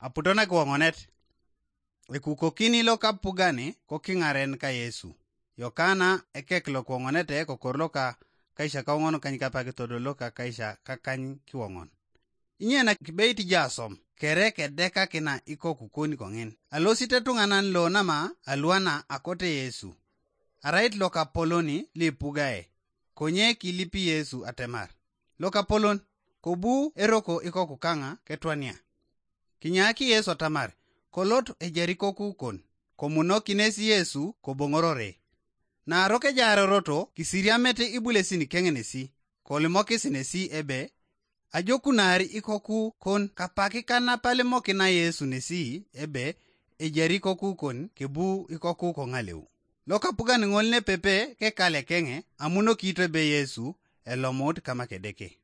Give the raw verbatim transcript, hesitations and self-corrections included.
Aputo nakiwoŋonet. Ekukokini lokapugani kokiŋaren ka Yesu. Yokana ekek lokiwoŋonete kokor loka kaisakaoŋon kanykapak todol loka kaisakakany kiwoŋon. Inye na kibeit jasom kere kedekakina ikoku kon koŋin. Alosit etuŋanan lo nama aluana akote Yesu. Arait lokapolon lipugae, konye kilipi Yesu atemar, "Lokapolon, kobu eroko ikoku kaŋa ketwania." Kinyaaki Yesu atamar kolot ejari ikoku kon, komunokines Yesu koboŋorore. Naarok ejaaroroto kisiriamete ibulesin keŋenesi, kolimokis nesi ebe, "Ajokunar ikoku kon kapak kanapalimokina Yesu nesi ebe ejari ikoku kon kebu ikoku koŋaleu." Lokapugan ŋol nepepe kekalekeŋe amunokito ebe Yesu elomut kama Kedeke.